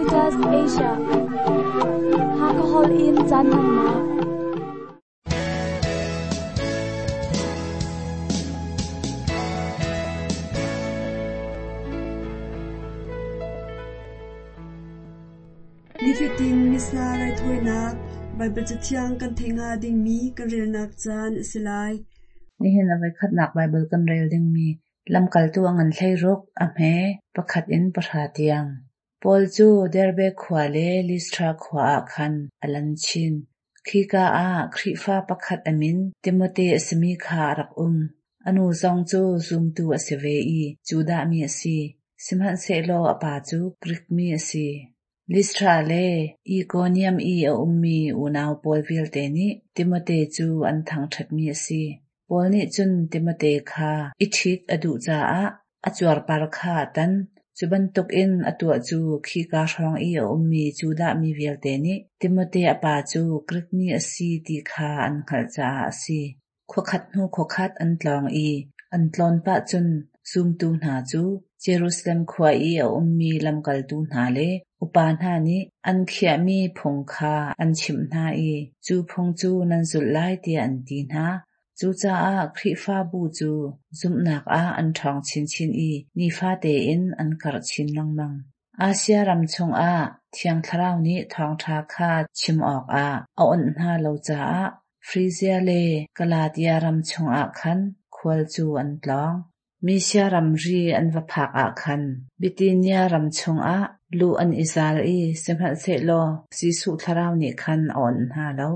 Caritas Asia. Hakha Hall in caan hmannak. Nifatin Missa raithawinak Baibal Cathiang kan theih hnga dingmi kan relnak caan a si lai. Nihin a voikhatnak Baibal kan rel dingmi Lamkaltu a ngan 16, a hme pakhat in pahra tiang. Paul cu Derbe khua le Listra khua ah khan a lan chin. Khika ah Khrihfa pakhat a min Timote a simi kha a rak um. A nu zong cu zumtu a si ve i Judah mi a si, sihmanhsehlaw a pa cu Grik mi a si. Listra le Ikonium i a ummi unau pawl vialte nih Timote cu an thangṭhatmi a si. Paul nih cun Timote kha i ṭhit a duh caah a cuarpar kha a tan. Cu bantukin a tuah cu khika hrawng i a ummi Judah mi vialte nih Timote a pa cu Grik mi a si ti kha an hngalh caah a si. Khuakhat hnu khuakhat an tlawng i an tlawn pah cun zumtu hna cu Jerusalem khua i a ummi lamkaltu hna le upa hna nih an khiahmi phung kha an chimh hna i cu phung cu nan zulh lai tiah an ti hna. Cucaah Khrihfabu cu zumhnak ah an ṭhawng chinchin i nifate in an karh chin lengmang. Asia ram chungah Thiang Thlarau nih thawngṭha kha chim awkah a awnh hna lo caah Frizia le Galatia ram chungah khan khual cu an tlawng. Misia ramri an va phak ah khan Bithynia ram chungah luh an i zal i sihmanhsehlaw Jesuh Thlarau nih khan a awnh hna lo.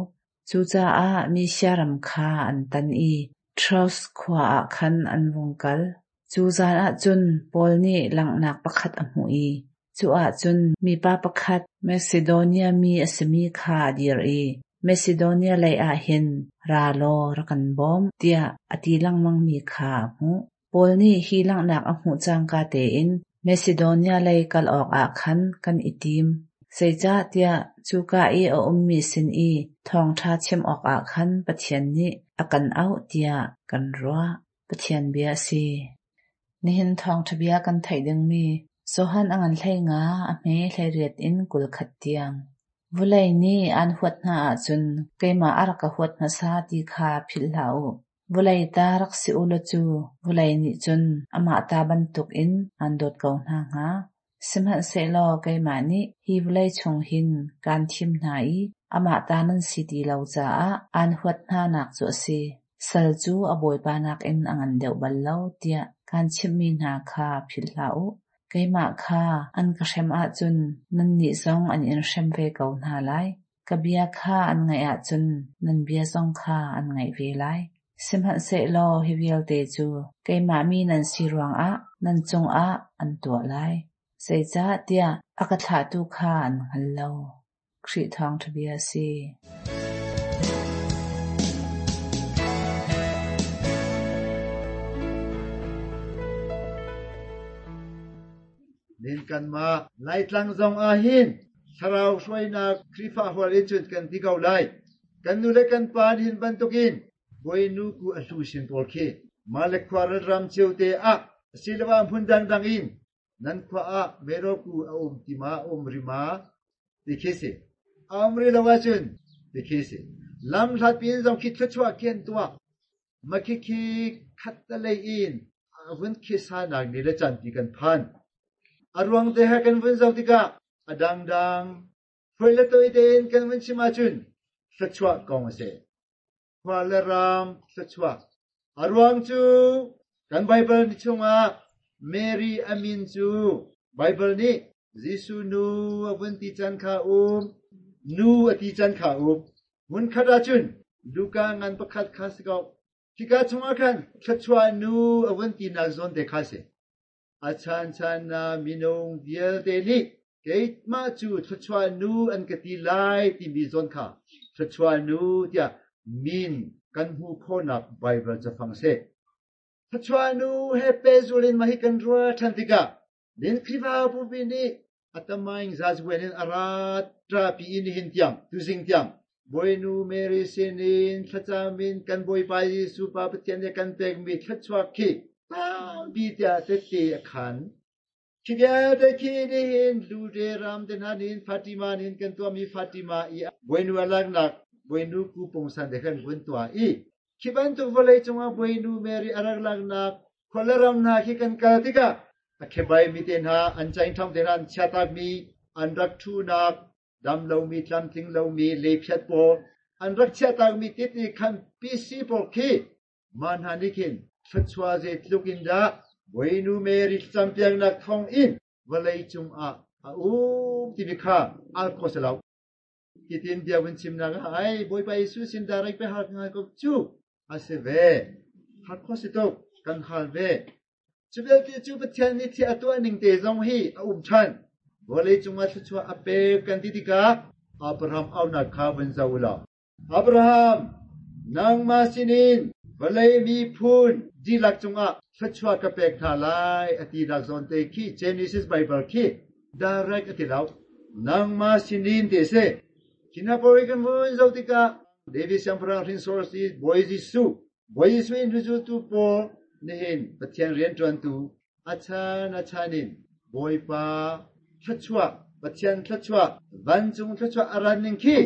Cucaah Misia ram kha an tan i Troas khua ah khan an vung kal. Cu zan ah cun Paul nih langhnak pakhat a hmuh i cu ah cun mipa pakhat Masidonia mi a simi kha a dir i, Masidonia leiah hin ra law ra kan bawm, tiah a ti lengmangmi kha a hmuh. Paul nih hi langhnak a hmuh cangka tein Masidonia lei kal awkah khan kan i tim, zeicahtiah cuka i a ummi sin i thawngṭha chim awkah khan Pathian nih a kan auh tiah kan ruah. Pathian bia a si. Nihin thawngṭha bia kan theih dingmi Johan a ngan 15 a hme 18 in 21 tiang. Vulei nih aan huat hna ahcun keimah a rak ka huat hmasa ti kha philh hlah u. Vulei ta rak si u law cu vulei nih cun amah ta bantukin aan dawt ko hna hnga. Sihmanhsehlaw keimah nih hi vawlei chung hin kaan thim hna i amah ta nan si ti lo caah aan huat hnanak cu a si. Sal cu a bawipa nakin a ngan deuh bal lo tiah kaan chimhmi hna kha philh hlah u. Keimah kha an ka hrem ahcun nannih zong an in hrem ve ko hna lai. Ka bia kha an ngaih ahcun nan bia zong kha an ngaih ve lai. Sihmanhsehlaw hi vialte cu keimah mi nan si ruangah nan cungah an tuah lai. Zeicahtiah a ka thlahtu kha an hngal lo. Khrih thawngṭha bia a si. Nin kanmah Laitlang zong ah hin thlarau hruainak Khrihfa hual in cun kan ti ko lai. Kan nu le kan pa nih hin bantukin Bawinu ku a hlu sin pawl khi mah le khua ram cio te ah asiloah hmun dangdang in nan khua ah mero ku a um ti ma um ri ma ti khi si. A um ri lo ahcun ti khi si. Lam hlat piin zong khi thluachuah khi an tuah. Makhikhi khattelei in a vun khisanak ni le caan ti kan phan. A ruang te he kan vun zoh tikah a dangdang hruai le toi tein kan vun chim ahcun thluachuah kong a si. Khua le ram thluachuah. A ruang cu kan Baibal ni chungah Mary a min cu Baibal nih Jesuh nu a vun ti can kha um, nu a ti can kha um. Hmunkhat ahcun Luka ngan pakhat kha si ko. Khika chungah khan thluachuah nu a vun tinak zawn te kha si. A chanchan ah minung vialte nih keimah cu thluachuah nu an ka ti lai timi zawn kha thluachuah nu tiah min kan hmuh khawhnak Baibal cafang a si. Thluachuah nu he pehzul in mah hi kan ruah ṭhan tikah Din Khrihfabu nih a tamaing zazuan in a ra ṭapi i nihin tiang tuzing tiang Bawinu Mary sinin thlacam in kan Bawipa Jesuh Pa Pathian nih kan pekmi thluachuah khi tampi tiah tette a khan. Khi vialte khi nihin Lude ram te hna nin Fatima nin kan tuahmi Fatima i Bawinu a laknak Bawinu ku pungsan te khan vun tuah i khi bantuk vawlei cungah Bawinu Mary a rak laknak khua ram hna khi kan kal tikah a khebai mi te hna an caingthong te hna an chiatakmi an rak ṭhunak dam lomi tlamtling lomi lephiat pawl an rak chiahtakmi tit i khan PC pawl khi mah hna nih khin thluachuah zeitluk in dah Bawinu Mary thlacampiaknak thawng in vawlei cungah a um timi kha al kho si lo. Hitin bia vun chimnak ah ai Bawipa Jesuh sin direct pe hal ngai ko cu a si ve. Hal kho si tuk kan hal ve. Cu vialte cu Pathian nih thil a tuah ning te zong hi a um ṭhan. Vawlei cungah thluachuah a pek kan ti tikah Abraham aunak kha vun zoh u law Abraham, nangmah sinin vawlei miphun dihlak cungah thluachuah ka pek hna lai a tinak zawn te khi Genesis Bible khi direct a ti lo. Nangmah sinin ti a si. Khi hna pawl hi kan vun zoh tikah David siangpahrang hrinsor si Bawi Jesuh Bawi Jesuh in hnuzultu pawl nihin Pathian rianṭuantu a chan a chan in Bawipa thluachuah, Pathian thluachuah, vancung thluachuah a ran ning khi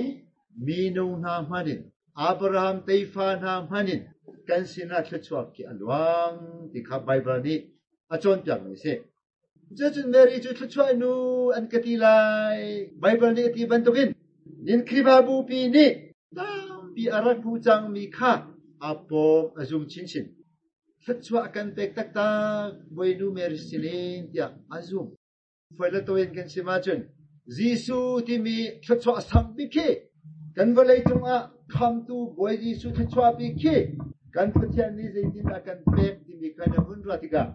minung hna hman in Abraham tefa hna hman in kan sinah thluachuah khi a luang ti kha Baibal nih a cawnpiakmi a si. Cucun Mary cu thluachuah nu an ka ti lai. Baibal nih a ti bantukin nin Khrihfabu pi nih tampi a rak hmu cangmi kha a pawm a zum chinchin. Thluachuah a kan pek taktak Bawinu Mary sinin tiah a zum. Foi le tawi in kan chim ahcun Jesuh timi thluachuah sang bik khi kan vawlei cungah khamtu Bawi Jesuh thluachuah bik khi kan Pathian nih zeitindah kan pek timi kha na vun ruah tikah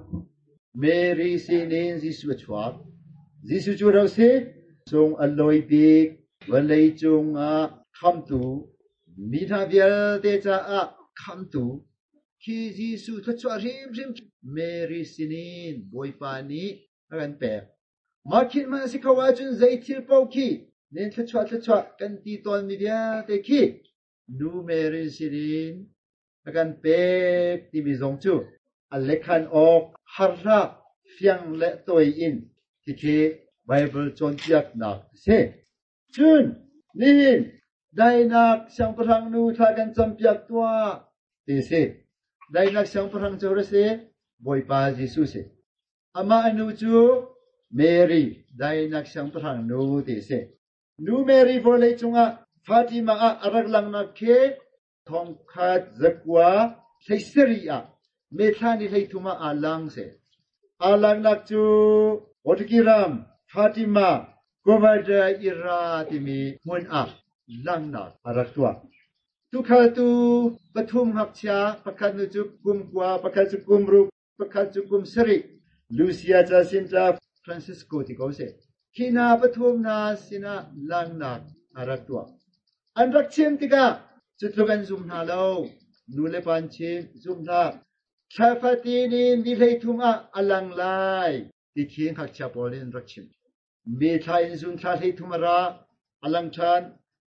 Mary sinin Jesuh a chuak. Jesuh cu ro si cung a lawi bik vawlei cungah khamtu mi hna vialte caah khamtu khi Jesuh thluachuah hrimhrim Mary sinin Bawipa nih a kan pek. Mah khi hmanh a si kho ahcun zei thil paoh khi nen thluachuah thluachuah kan ti tawnmi vialte khi Nu Mary sinin a kan pek timi zong cu a lekhan awk har hlah fiang le tawi in khikhi Baibal cawnpiaknak a si. Cun nihin daihnak siangpahrang nu thla kan campiak tuah ti si. Daihnak siangpahrang cu a si Bawipa Jesuh si. Amah a nu cu Mary daihnak siangpahrang nu ti si. Nu Mary vawlei cungah Fatima ah a rak langnak khi thongkhat zakua hleisarih ah Methla ni 13 ah aa lang si. Aa langnak cu Portuguese ram Fatima Cova da Ira timi hmun ah langnak a rak tuah. Tukhaltu pathum ngakchia pakhat nu cu kum 9, pakhat cu kum 6, pakhat cu kum 7, Lucia Jacinta Francisco ti ko seh. Khi hna pathum hna sinah langnak a rak tuah. An rak chim tikah cutluk an zum hna lo. Nu le pa an chim, zum hlah. Thla fatin in ni 33 ah a lang lai ti khi ngakchia pawl nih an rak chim. Me thla in zun thla 33 a ra, a lang ṭhan,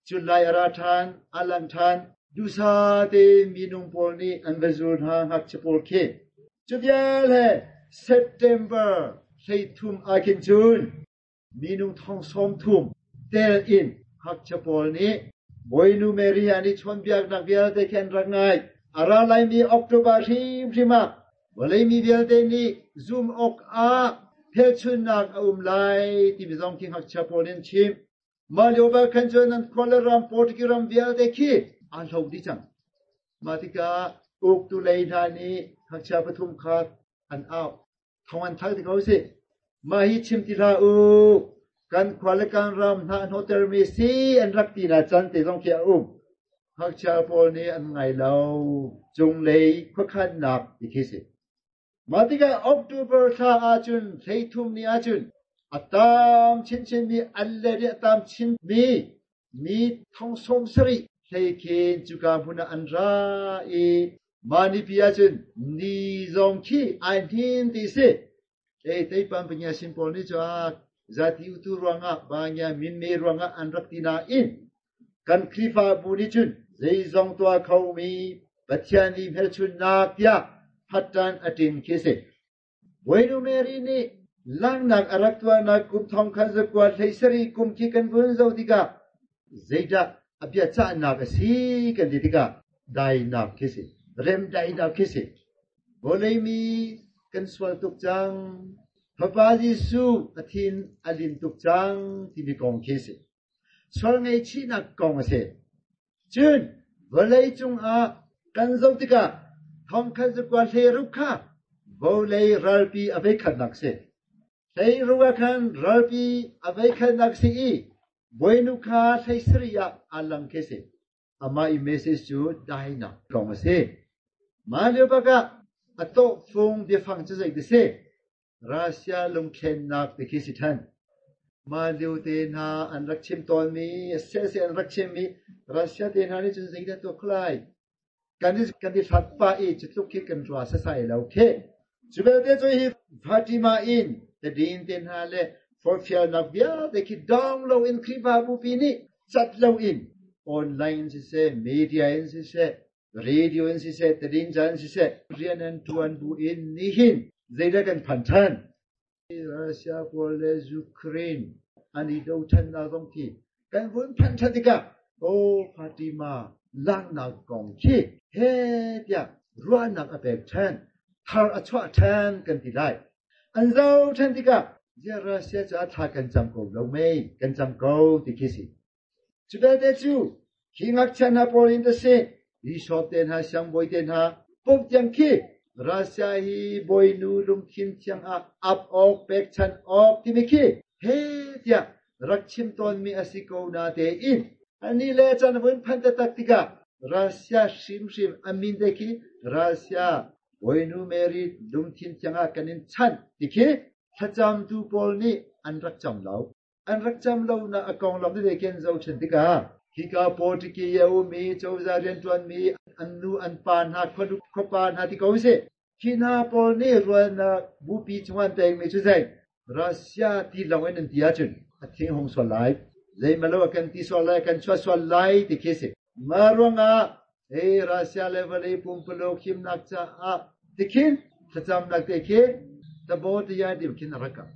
cun lai a ra ṭhan, a lang ṭhan. Duhsah tein minung pawl nih an va zul hna ngakchia pawl khi. Cu vial he September 33 ah khin cun minung thong 30 tel in ngakchia pawl nih Bawinu Mary an i chawnhbiaknak vialte khi an rak ngai. A ra laimi October hrimhrim ah vawlei mi vialte nih zum awk ah phelchunnak a um lai timi zong khi ngakchia pawl nih an chim. Mah lio bal khan cun an khua le ram Portuguese ram vialte khi aa hlo dih cang. Mah tikah uktu lei hna nih ngakchia pathum kha an auh. Thong an thlak ti ko sih. Mah hi chim ti hlah u. Kan khua le kan ram hna hnawhtermi si an rak ti na can te zong khi a um. Ngakchia pawl nih an ngai lo. Cunglei khuakhannak ti khi si. Mah tikah October thla ahcun 33 ni ahcun a tam chinchinmi an le nih a tam chinmi mi thong 70 hlei khin cuka hmun ah an ra i mah nipi ahcun ni zong khi ai hnin ti si. Ei teipan panya sin pawl nih cun zati utu ruangah banya minme ruangah an rak ti nain kan Khrihfabu nih cun zeizong tuah khomi Pathian nih hmelchunhnak tiah phatṭan a ṭin khi si. Bawinu Mary nih Langhnak a rak tuahnak kum 1917 kum khi kan vun zoh tikah zeidah a biacahnak a si kan ti tikah dainak khi si, remdaihnak khi si. Vawlei mi kan sual tuk cang, Fapa Jesuh a thin a lin tuk cang timi kong khi si. Sual ngaihchihnak kong a si. Cun vawlei cungah kan zoh tikah 1916 kha vawlei ralpi a voikhatnak si. 16 ah khan ralpi a voikhatnak si i Bawinu kha 17 ah aa lang khi si. Amah i message cu dainak kong a si. Mah lio bak ah a tawhfung biafang cu zei ti si? Russia lungthlennak ti khi si ṭhan. Mah lio te hna an rak chim tawnmi, sehseh an rak chimmi Russia te hna nih cun zeidah tuah kho lai? Kan i kan i hlat pah i cu tluk khi kan rua sasai lo khi. Cu belte cu hi Fatima in tadin te hna le forhfialnak vialte khi dong loin Khrihfabu pi nih cat loin online in siseh, media in siseh, radio in siseh, tadinca in siseh, rian an ṭuan bu in nihin zeidah kan phan ṭhan? Russia pawl le Ukraine an i do ṭhannak zong khi kan vun phanh ṭhan tikah aw Fatima langhnak kong khi he tiah ruahnak a pek ṭhan, thar a chuah ṭhan kan ti lai. An zoh ṭhan tikah ziah Russia caah thla kan cam ko lo mei, kan cam ko ti khi si. Cu belte cu hi ngakchia hna pawl in a si. Bishop te hna, siangbawi te hna, Pope tiang khi Russia hi bawinu lungthin thiang ah ap awk, pekchanh awk timi khi he tiah rak chim tawnmi a si ko na tein ani le caan vun phanh taktak tikah Russia hrimhrim a min te khi Russia Bawinu Mary lungthin thiang ah kan in chanh ti khi thlacamtu pawl nih an rak cam lo. An rak cam lonak a konglam tete khi an zohṭhen tikah hika Portuguese i a ummi cozah rianṭuanmi an nu an pa hna khuanu khuapa hna ti ko usih. Khi hna pawl nih rualnak bupi chungah an pekmi cu zei Russia ti lawng in an ti ahcun a thing hung sual lai. Zeimalo a kan ti sual lai, kan chuah sual lai ti khi a si. Mah ruangah hei Russia le vawlei pumpuluk himnak caah tikhin thlacamnak te khi tabo tiya dim khin a rak kal.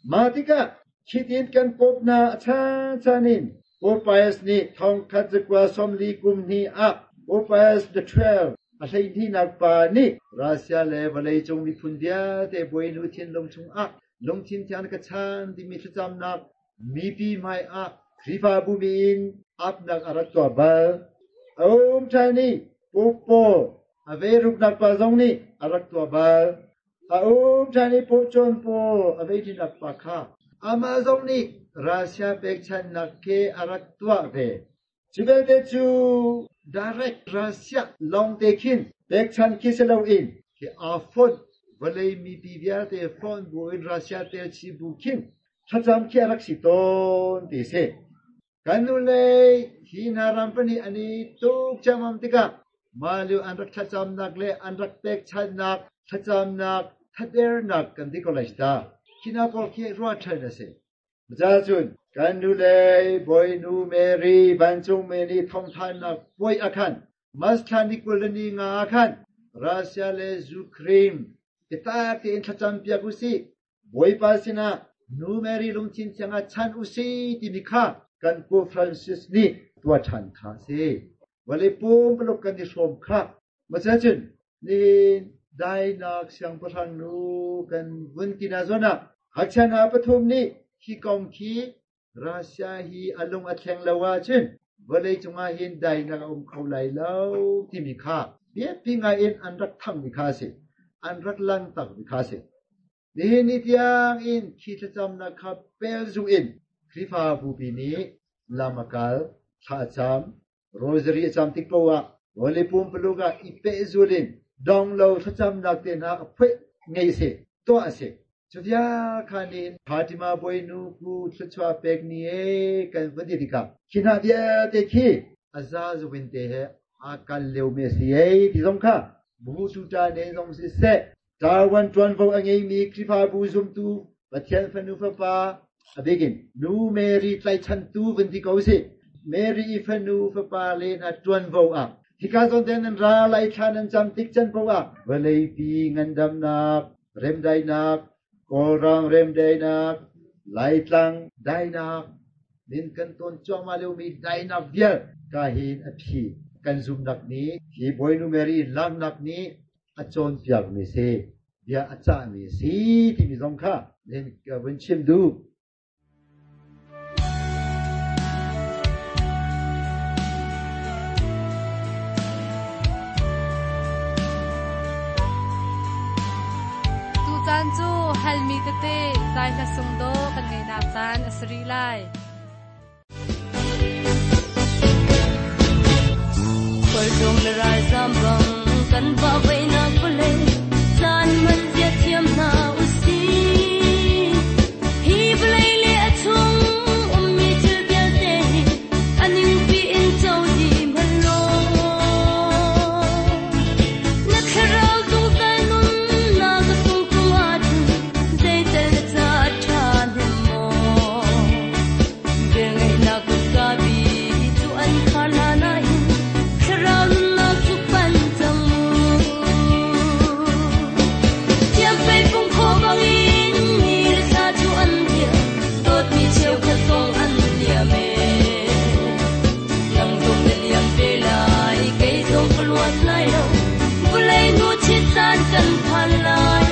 Mah tikah Khitin kan Pope hna a chanchan in Pope Pius nih 1940 kum hnih ah Pope Pius the XII a hleihnihnak pa nih Russia le vawleicung miphun vialte Bawinu thinlung chungah lungthin thiang ka chan timi thlacamnak mipi hmai ah Khrihfabu mi in apnak a rak tuah bal. A um ṭhan i Pope Paul a ve ruknak pa zong nih a rak tuah bal. A um ṭhan i pawcawn pawl a veiṭinak pa kha amah zong nih Russia pekchanhnak khi a rak tuah ve. Cu belte cu direct Russia lawngte khin pekchanh khi si loin khi aa fonh vawlei mipi vialte fonh buin Russia tel chih bu khin thlacam khi a rak si tawn ti si. Kan hnulei hi hna ram pahnih an i tuk ciammam tikah mah lio an rak thlacamnak le an rak pekchanhnak thlacamnak thadernak kan ti ko lai ta. Khi hna pawl khi ruah ṭhan a si. Cun kan hnulei Bawinu Mary vancungmi nih thawngthannak puai a khan March thla ni 20 le ni nga ah khan Russia le Ukraine biatak tein thlacam piak usih. Bawipa sinah Nu Mary lungthin thiang ah chan usih timi kha kan Pope Francis nih tuah ṭhan kha a si. Vawlei pumpuluk kan i hrawm kha. Macun nihin dainak siangpahrang nu kan vun ti na zawn ah ngakchia hna pathum nih hi kong khi Russia hi a lung a thleng lo ahcun vawlei cungah hin dainak a um kho lai lo timi kha biapi ngai in an rak thangmi kha a si. An rak langtakmi kha a si. Nihin ni tiang in khi thlacamnak kha pelzung in Khrihfa bupi nih lam a kal, thla a cam, rosary a cam tik paoh ah vawlei pumpuluk ah i pehzul in dong lo thlacamnak te hna a phuih ngei a si, tuah a si. Cu vial kha nih Fatima Bawinu ku thluachuah pek ni e kan vun ti tikah khi hna vialte khi a zazu in te he aa kal liomi a si ei ti zong kha bu tuta ne zong siseh Taiwan ṭuanvo a ngeimi Khrihfabu zumtu Pathian fanu fapa a bikin Nu Mary tlaichantu vun ti ko sih. Mary i fanu fapa le hna ṭuanvo ah hika zawn te nan ra lai thla nan cam tik can paoh ah vawleipi ngandamnak, remdaihnak, Kawlram remdaihnak, Laitlang daihnak, min kan tawn cuahmah liomi daihnak vial ka hin a phi kan zumnak nih hi Bawinu Mary laknak nih a cawnpiakmi si, bia a cahmi si timi zong kha ka vun chim duh. Tucaan cu halmi tete zai hla sung dawh kan ngeihnak caan a si rih lai. Khualtlung le ralzam bang kan vahvaihnak vawlei caan hman zia thiam hna usih. Hi vawlei le a chung ummi thil vialte hi a ningpi in co dih hmanh law. Na thlarau zungzal nunnak a sung tung ahcun zeital na ca a ṭha hnem maw? Velngeihnak kutka bi cu an khar hna nain thlarau nunnak cu pan cang mu. Thiamfei pung khaw bangin ni le thla cu an liam, dawtmi cheukhat zong an liam ee. Nang zong na liam ve lai, kei zong ka luat lai lo, vawlei nu chit caan kan phan lai.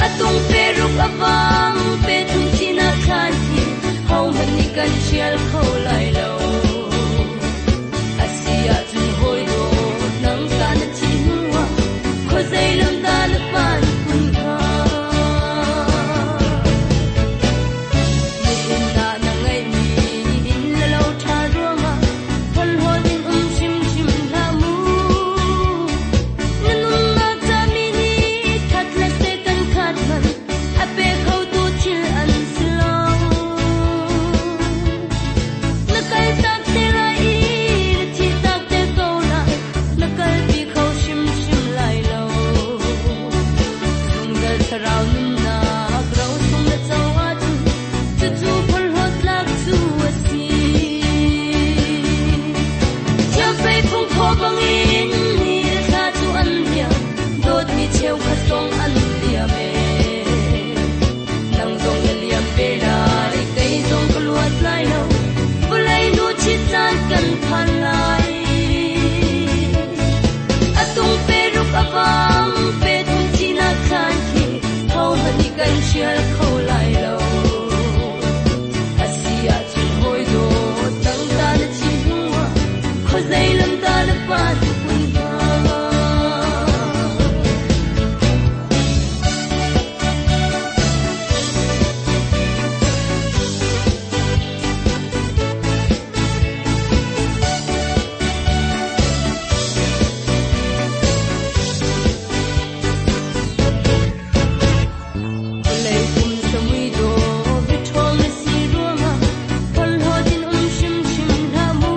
A tung pe ruk a vang, pe thum thihnak thlan khi, hohmanh nih kan hrial kho lai lo. A si ahcun hawi dawt, nang tah na thih hnuah, khuazei lam dah na phan kun hnga? Nihin ah na ngeihmi inn le lo ṭha ruangah phorhlawt in um hrimhrim hlah mu. Na nunnak ca mi nih that le seh kan khat hmanh a pe khotu thil an si lo. Na kaltak te lai i na thihtak te ko lai, na kalpi kho hrimhrim lai lo. Zungzal thlarau nunnak ro sung na co ahcun cucu phorhlawt tlak cu a si. Thiamfei phung phaw bangin ni le thla cu an liam, dawtmi cheukhat zong an liam ee. Nang zong na liam ve lai, kei zong ka luat lai lo, vawlei nu chit caan kan phan lai. A tung pe ruk a vang, pe thum thihnak thlan khi, hohmanh nih kan hrial kho lai lo. A si ahcun hawi dawt, nang ta na thih hnuah, khuazei lam dah na phan kun hnga? Vawlei pum samui dawh biaṭhawng na si ruangah phorhlawt in um hrimhrim hlah mu.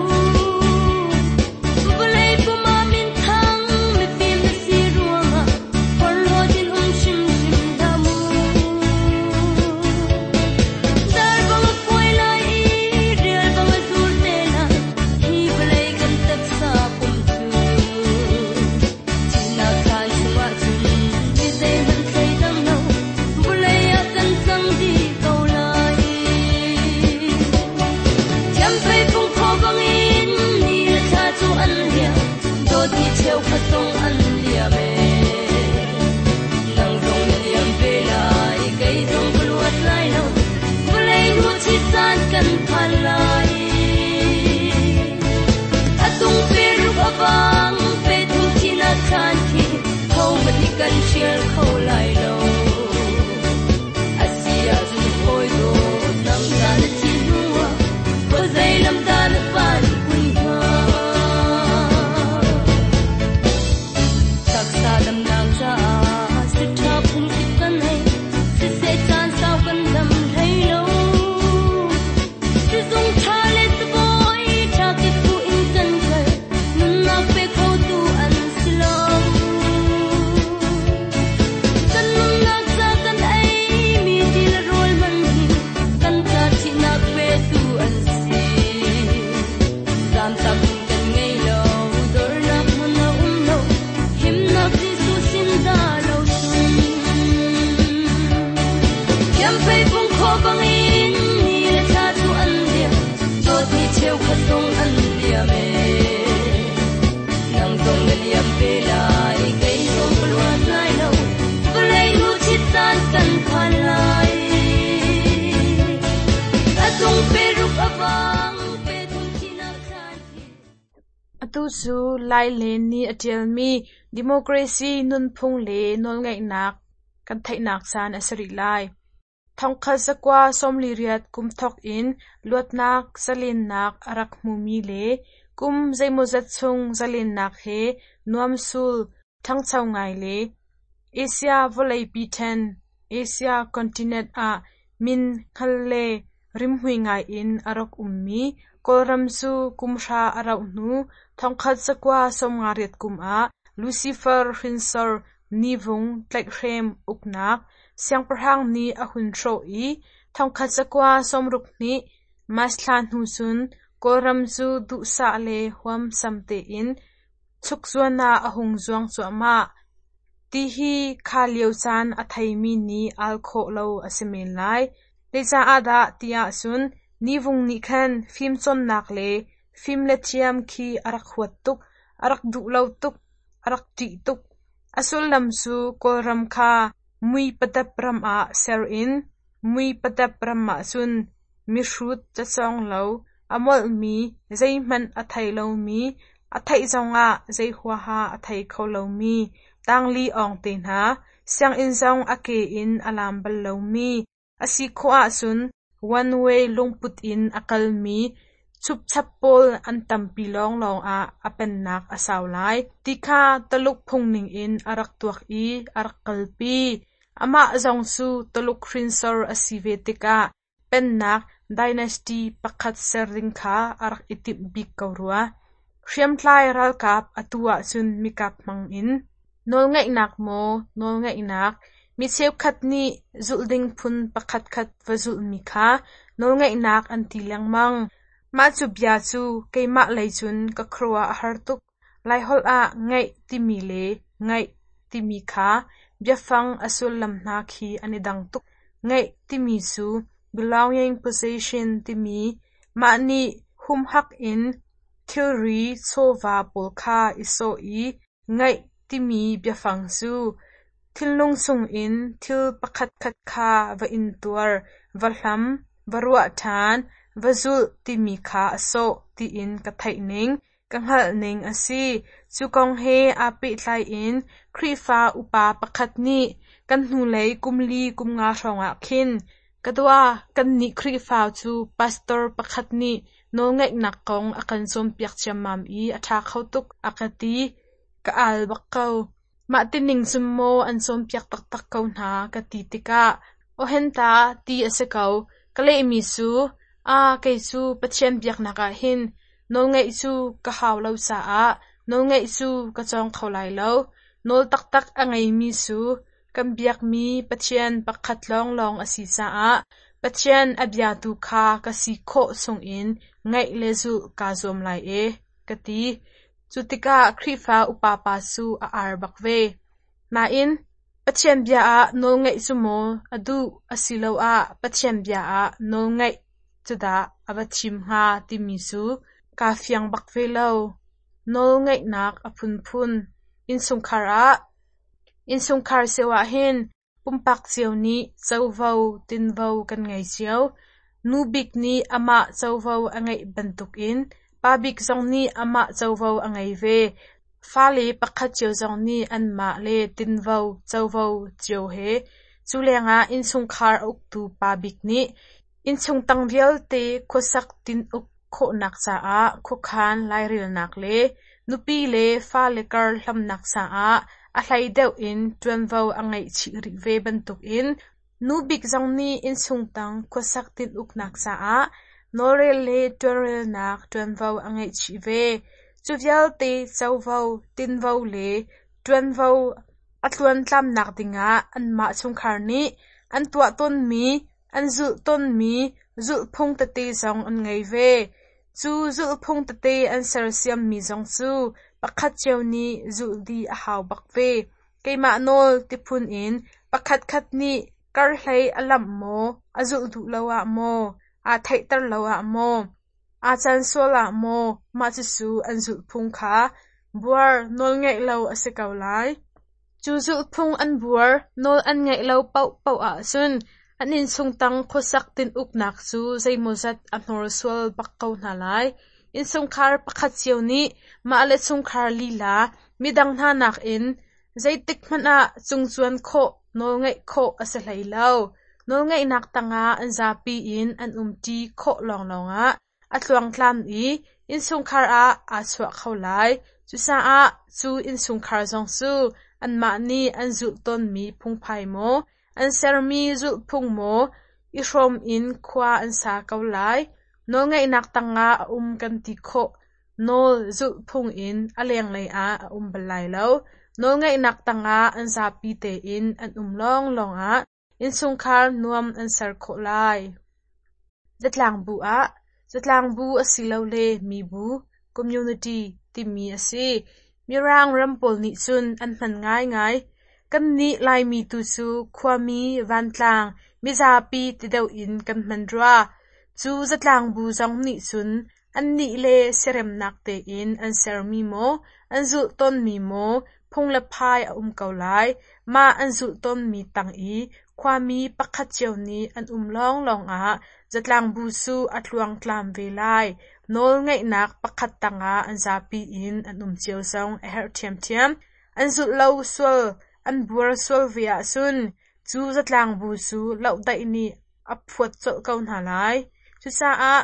Vawlei pum ah minthang mifim na si ruangah phorhlawt in um hrimhrim hlah mu. Dar bang a phuai lai i rial bang a zur te lai, hi vawlei kan taksa pum cu. Thihnak thlan chungah cun mi zeihmanh thleidang lo, vawlei ah kan cang dih ko lai. Thiamfei phung phaw bangin ni le thla cu an liam, dawtmi cheukhat zong an liam ee. Nang zong na liam ve lai, kei zong ka luat lai lo, vawlei nu chit caan kan phan lai. A tung pe ruk a vang, pe thum thihnak thlan khi, hohmanh nih kan hrial kho lai lo. A si ahcun hawi dawt, nang ta na thih hnuah, khuazei lam dah na phan kun hnga? Taksa damnak caah si ṭha phun kip kan hei, siseh caan sau kan dam hlei lo. Atu cu Lai Len nih a ṭialmi Democracy nunphung le nawlngeihnak kan theihnak caan a si rih lai. 1948 kum thawk in luatnak zalennak a rak hmumi le kum zeimawzat chung zalennak he nuamsul ṭhangcho ngai le Asia vawleipi ṭhen (Asia Continent) ah min hngal le rimhmui ngai in a rak ummi Kawlram cu kum hra a rauh hnu 1958 kum ah Lucifer hrinsor Nivung tlaihhrem uknak siangpahrang nih a hun hrawh i 1962 March thla hnu cun Kawlram cu duhsah le huamsam tein chukzuan ah a hung zuang cuahmah, ti hi kha lio caan a theimi nih al khawh lo a si men lai. Zeicaah dah ti ahcun Nivung nih khan fimcawnnak le fim le thiam khi a rak huat tuk, a rak duh lo tuk, a rak ṭih tuk. A sullam cu Kawlram kha mui padap ram ah ser in mui padap ram ahcun mihrut cacawng lo, a molhmi, zeihmanh a thei lomi, a theih zongah zei huaha a thei kho lomi, tangli awng te hna, sianginn zong a ke in a lam bal lomi, a si khawh ahcun one way lungput in a kalmi chupchap pawl an tampi lawnglawng ah a pennak a sau lai, ti kha Taluk phung ningin a rak tuak i a rak kalpi. Amah zong cu Taluk hrinsor a si ve tikah pennak dynasty pakhat ser ding kha a rak i timh bik ko rua. Hriamtlai ralkap atu ahcun mikap hmang in nawlngeihnak maw nawlngeihnak, mi cheukhat nih zulh ding phun pakhatkhat va zulhmi kha nawlngeihnak an ti lengmang. Mah cu bia cu keimah lei cun ka khuaruah a har tuk. Laiholh ah ngeih timi le ngaih timi kha biafang a sullam hna khi an i dang tuk. Ngeih timi cu belonging possession timi mah nih humhak in thilri chawva pawl kha i sawh i ngaih timi biafang cu thinlung chungin thil pakhatkhat kha va intuar, va hlam, va ruah ṭhan, va zulh timi kha a sawh tiin ka theih ning, ka hngalh ning a si. Cu kong he aa pehtlai in Khrihfa upa pakhat nih kan hnulei kum li kum nga hrawngah khin, Ka dua, kannih Khrihfa cu pastor pakhat nih nawlngaihnak kong a kan cawnpiak ciammam i a ṭha kho tuk, a ka ti. Ka al bak ko. Mah tining cun maw an cawnpiak taktak ko hna ka ti tikah awhenta ti a si ko. Ka lehmi cu, Aa, kei cu Pathian biaknak ah hin nawlngaih cu ka hau lo caah nawlngaih cu ka cawng kho lai lo. Nawl taktak a ngeimi cu kan biakmi Pathian pakhat lawnglawng a si caah Pathian a biatu kha ka si khawh chungin ngaih le zulh kaa zuam lai e, ka ti. Cu tikah Khrihfa upa pa cu a ar bak ve. Nain, Pathian bia ah nawlngaih cu maw a duh asiloah Pathian bia ah nawlngaih cu dah a va thim hnga timi cu kaa fiang bak ve lo. Nawlngaihnak a phunphun. Innchungkhar ah Innchungkhar cio ahhin Pumpak cio nih covo tinvo kan ngei cio. Nu bik nih amah covo a ngeih bantukin pa bik zong nih amah covo a ngei ve. Fale pakhat cio zong nih anmah le tinvo covo cio he. Cu lengah innchungkhar a uktu pa bik nih innchung tang vialte khuasak tin-uk khawhnak caah khuakhan lairelnak le nupi le fale kar hlamnak caah a hlei deuh in ṭuanvo a ngeih chih rih ve bantukin nu bik zong nih innchung tang khuasak tin-uknak caah nawlrel le ṭuanrelnak ṭuanvo a ngeih chih ve. Cu vialte covo, tinvo le ṭuanvo a tluantlamnak dingah anmah chungkhar nih an tuah tawnmi, an zulh tawnmi zulhphung tete zong an ngei ve. Cu zulhphung tete an sersiammi zong cu pakhat cio nih zulh dih a hau bak ve. Keimah nawl ti phun in pakhatkhat nih karhlei a lamh maw, a zulh duh lo ah maw, aa theihter lo ah maw, aa can sual ah maw mah cucu an zulhphung kha buar nawlngaih lo a si ko lai. Cu zulhphung an buar nawl an ngaih lo paohpaoh ahcun an innchung tang khuasak tin-uknak cu zeimawzat a hnorsual bak ko hna lai. Innchungkhar pakhat cio nih mah le chungkhar lila midang hna nakin zeitik hmanh ah cungcuan khawh, nawlngeih khawh a si hlei lo. Nawlngeihnak tangah an zapi in an umṭi khawh lawnglawng ah a tluangtlam i innchungkhar ah aa chuah kho lai. Cucaah cu innchungkhar zong cu anmah nih an zulh tawnmi phungphai maw, an sermi zulhphung maw i hrawm in khua an sa ko lai. Nawlngeihnak tangah a um kan ti khawh. Nawl zulhphung in a lenglei ah a um bal lai lo. Nawlngeihnak tangah an zapi tein an um lawnglawng ah innchungkhar nuam an ser khawh lai. Zatlangbu ah Zatlangbu asilole mibu (community) timi a si. Mirang ram pawl nih cun an hman ngaingai. Kannih Laimi tu cu khuami, vantlang, mizapi ti deuh in kan hman rua. Cu zatlangbu zong nih cun annih le siaremnak tein an sermi maw, an zulh tawnmi maw phung le phai a um ko lai. Mah an zulh tawnmi tang i khuami pakhat cio nih an um lawnglawng ah zatlangbu cu a tluangtlam ve lai. Nawlngeihnak pakhat tangah an zapi in an um cio zong a herh ṭhiamṭhiam. An zulh lo sual, an buar sual ve ahcun cu zatlangbu cu lohdaih nih a phuat colh ko hna lai. Cucaah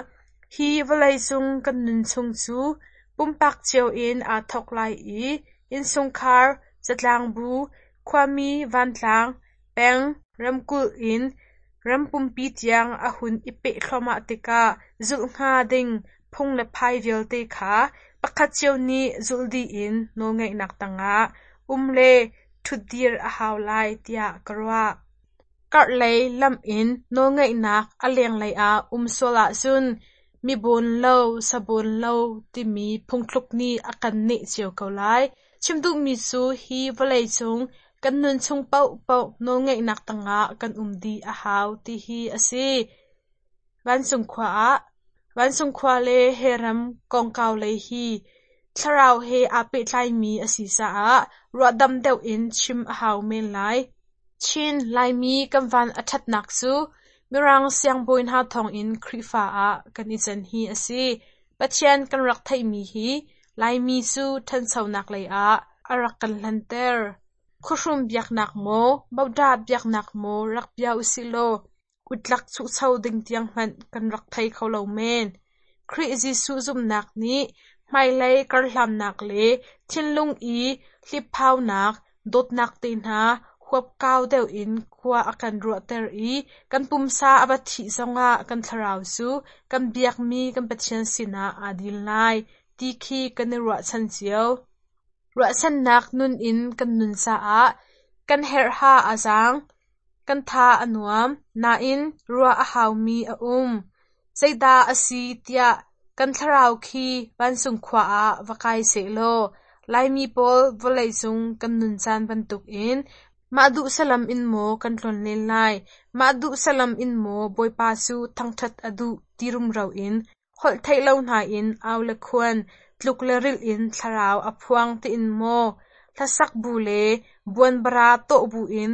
hi vawleicung kan nun chung cu pumpak cio in aa thawk lai i innchungkhar, zatlangbu, khuami vantlang, peng, ramkulh in ram pumpi tiang a hun i peh thluahmah tikah zulh hnga ding phung le phai vialte kha pakhat cio nih zulh dih in nawlngeihnak tangah um le ṭhutdir a hau lai tiah ka ruah. Karhlei lamh in nawlngeihnak a lenglei ah um sual ahcun mi bawn lo, sa bawn lo timi phungthluk nih a kan neh cio ko lai. Chim duhmi cu hi vawleicung kan nun chung paohpaoh nawlngeihnak tangah kan um dih a hau ti hi a si. Vancung khua ah Vancung khua le he ram kongkau lei hi thlarau he aa pehtlaimi a si caah ruahdam deuh in chim a hau men lai. Chin Laimi kan van a ṭhatnak cu Mirang siangbawi hna thawngin Khrihfa ah kan i can hi a si. Pathian kan rak theihmi hi Laimi cu ṭhanchonak lei ah a rak kan hlanter. Khuahrum biaknak maw, Bodah biaknak maw rak bia usih law utlak chuhcho ding tiang hmanh kan rak thei kho lo men. Khrih Jesuh zumhnak nih hmailei karhlannak le thinlung i hliphaunak, dawtnak te hna huapkau deuh in khua a kan ruahter i kan pumsa a va thih zongah kan thlarau cu kan biakmi kan Pathian sinah aa dil lai ti khi kan i ruahchan cio. Ruahchannak nun in kan nun caah kan herhha a zaang, kan tha a nuam, nain ruah a haumi a um. Zeidah a si tiah kan thlarau khi vancung khua ah va kai sehlaw Laimi pawl vawleicung kan nun caan bantukin mah duh salam in maw kan tlonlen lai, mah duh salam in maw Bawipa cu thangṭhat a duh ti rumro in holh theih lo hna in au le khuan, tluk le rilh in thlarau a phuang tiin maw hlasak bu le buanbara tawh bu in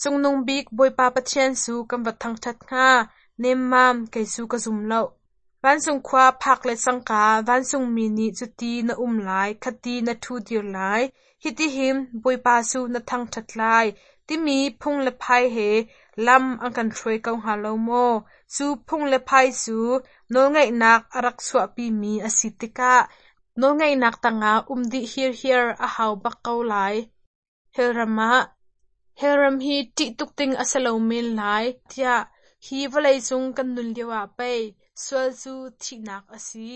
Cungnung bik Bawipa Pathian cu kan va thangṭhat hnga, nemmam kei cu ka zum lo. Vancung khua phak le cangka vancungmi nih cuti na um lai, khati na ṭhudir lai, hitihin Bawipa cu na thangṭhat lai, timi phung le phai he lam an kan hruai ko hnga lo maw? Cu phung le phai cu nawlngeihnak a rak chuahpimi a si tikah nawlngeihnak tangah um dih hirhiar a hau bak ko lai. Hellram ah Hellram hi ṭih tuk ding a si lo men lai tiah hi vawleicung kan nun lioah pei sual cu thihnak a si.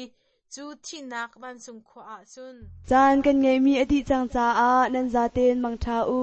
Cu thihnak vancung khua ah cun Caan kan ngeihmi a dih cang caah nan zaten mangṭha u.